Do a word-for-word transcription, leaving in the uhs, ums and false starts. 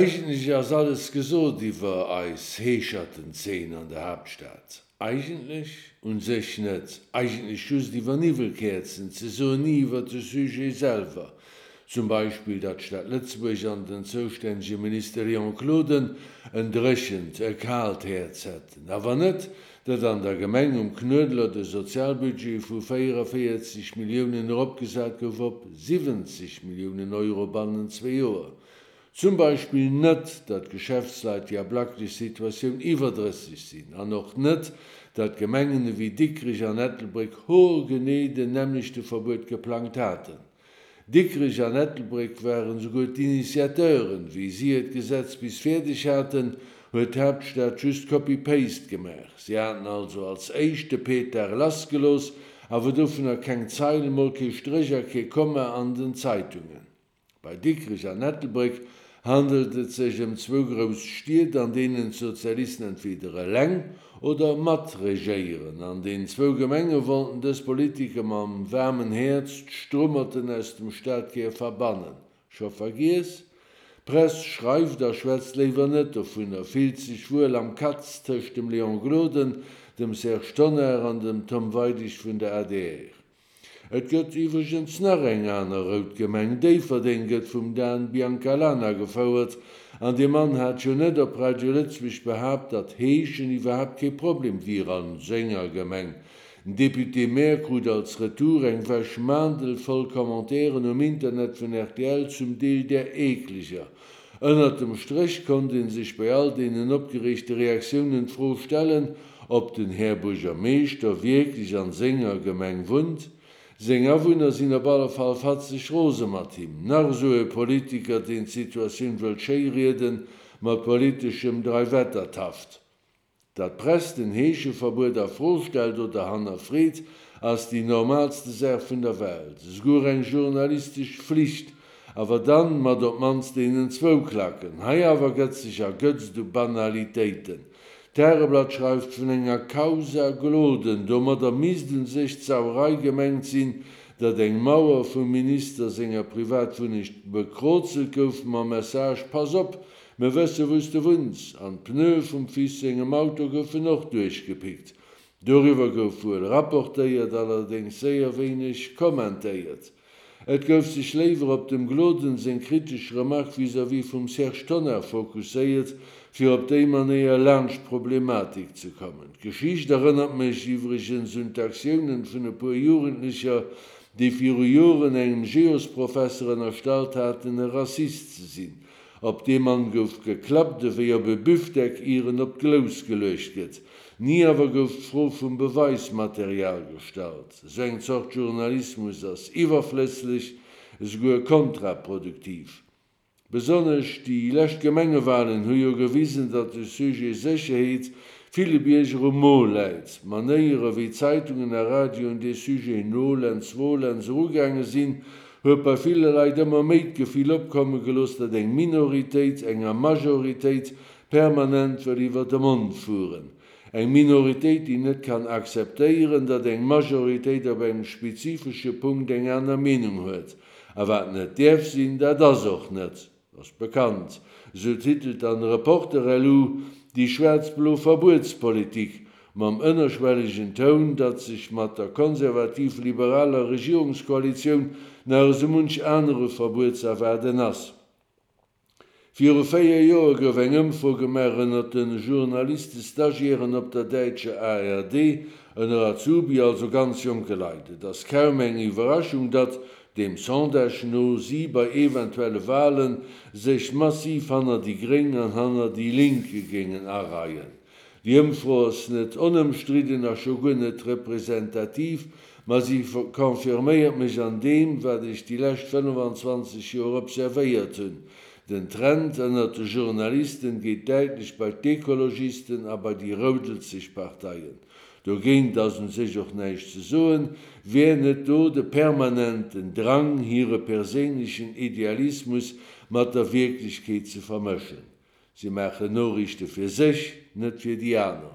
Eigentlech ass alles gesot iwwer eis Heeschertenzeen an der Haaptstad. Eigentlech? Un sech net. Eigentlech just iwwer Niwwelkäerzen, ze soen, ni iwwer de Sujet selwer. Zum Beispill, datt d'Stad Lëtzebuerg an den zoustännege Minister Léon Gloden en dréchent, e kaalt Häerz hätten. Awer net, datt an der Gemeng um Knuedler de Sozialbudget vu véierundavéierzeg Milliounen eropgesat gouf op siwwenzeg Milliounen Euro bannent zwee Joer. Zum Beispill net, datt d'Geschäftsleit déi ablacklech Situatioun iwwerdrësseg sinn. An och net, datt Gemengen ewéi Dikrech an Ettelbréck hoergenee den nämmlechte Verbuet geplangt haten. Dikrech an Ettelbréck waren esouguer d'Initiateuren. Wéi si hiert Gesetz bis fäerdeg haten, huet d'Haaptstad just Copy-Paste gemaach. Si haten also als éischt de Petard lassgelooss, awer dovunner keng Zeil, mol kee Stréch a kee Komma an den Zeitungen. Bei Dikrech an Ettelbréck handelt et sech ëm zwou grouss Stied, an deenen d'Sozialisten entweder eleng oder mat regéieren. An den zwou Gemenge wollten dës Politiker mam waarmen Häerz d'Strummerten aus dem Stadkär verbannen. Scho vergiess? D'Press schreift a schwätzt léiwer net dovunner, fillt sech wuel am Katz tëscht dem Léon Gloden, dem Serge Tonnar an dem Tom Weidig vun der adr. Et gëtt iwwregens nach eng aner rout Gemeng, Déifferdeng gëtt vum Dan Biancalana gefouert. An dee Mann hat jo net op Radio Lëtzebuerg behaapt, datt Heeschen iwwerhaapt kee Problem wier a senger Gemeng. Den Député-Maire krut als Retour eng Wäsch Maandel voll Commentairen um Internet vun rtl, zum Deel där eekleger. Ënnert dem Stréch konnt ee sech bei all deenen opgereegte Reaktiounen d'Fro stellen, ob den Här Buergermeeschter wierklech an senger Gemeng wunnt. Seng Awunner sinn op alle Fall fatzeg rose mat him. Nach esou e Politiker, deen d'Situatioun wëllt schéirieden, mat politeschem Dreiwettertaft. Datt d'Press den Heescheverbuet a Fro stellt oder hannerfreet, ass déi normalste Saach vun der Welt, esouguer eng journalistesch Flicht, awer dann mat op d'mannst deenen zwou Klacken. Hei awer gëtt sech ergötzt u Banalitéiten. D'Tageblatt schreift vun enger Causa Gloden. Domadder misst u sech d'Sauerei gemengt sinn, datt eng Mauer vum Minister senger Privatwunnegt bekrozelt gouf mam Message, Pass op, mir wësse wou s de wunns! An d'Pneue vum Fils sengem Auto goufen och duerchgepickt. Doriwwer gouf wuel rapportéiert, allerdéngs séier wéineg kommentéiert. Et gouf sech léiwer op dem Gloden seng kritesch Remark vis-à-vis vum Serge Tonnar fokusséiert, fir op déi Manéier laanscht d'Problematik ze kommen. D'Geschicht erënnert mech iwwregens un d'Aktiounen vun e puer Jugendlecher, déi viru Joren engem Geosprofesser ënnerstallt haten, e Rassist ze sinn. Op dee Mann gouf geklappt ewéi op e Büfdeck, ier en op d'Glous geluecht gëtt. Ni awer gouf d'Fro vum Beweismaterial gestallt. Esou eng Zort Journalismus ass iwwerflësslech, esouguer kontraproduktiv. Besonnesch déi lescht Gemengewalen hu jo gewisen, datt de Sujet Sécherheet ville Bierger um Mo läit. D'Manéier, ewéi Zeitungen a Radioen dee Sujet nolens volens erugaange sinn, huet bei ville Leit ëmmer méi d'Gefill opkomme gelooss, datt eng Minoritéit enger Majoritéit permanent wëll iwwer de Mond fueren. Eng Minoritéit, déi net kann akzeptéieren, datt eng Majoritéit op engem spezifesche Punkt eng aner Meenung huet. A wat net däerf sinn, dat ass och net. Ass bekannt. Esou titelt dann Reporter-lu déi schwaarz-blo Verbuetspolitik, mam ënnerschwellegen Toun, datt sech mat der konservativ-liberaler Regierungskoalitioun nach esou munch anere Verbuet z'erwaarden ass. Viru véier Joer gouf eng Ëmfro gemaach ënnert de Journaliste-Stagiairen op der däitscher ARD, ënner Azubi, also ganz jonke Leit. Et ass kaum eng Iwwerraschung, datt, deem Sondage no, si bei eventuelle Wale sech massiv hanner déi Gréng an hanner déi Link géingen areien. Déi Ëmfro ass net onëmstridden a scho guer net representativ, ma si confirméiert mech an deem, wat ech déi lescht fënnefanzwanzeg Joer observéiert hunn, Den Trend ënnert de Journalisten geet däitlech bei d'Ekologisten a bei déi roudelzeg Parteien. Dogéint ass un sech och näischt ze soen, wär net do de permanenten Drang, hire perséinlechen Idealismus mat der Wierklechkeet ze vermëschen. Si maachen Noriichte fir sech, net fir déi aner.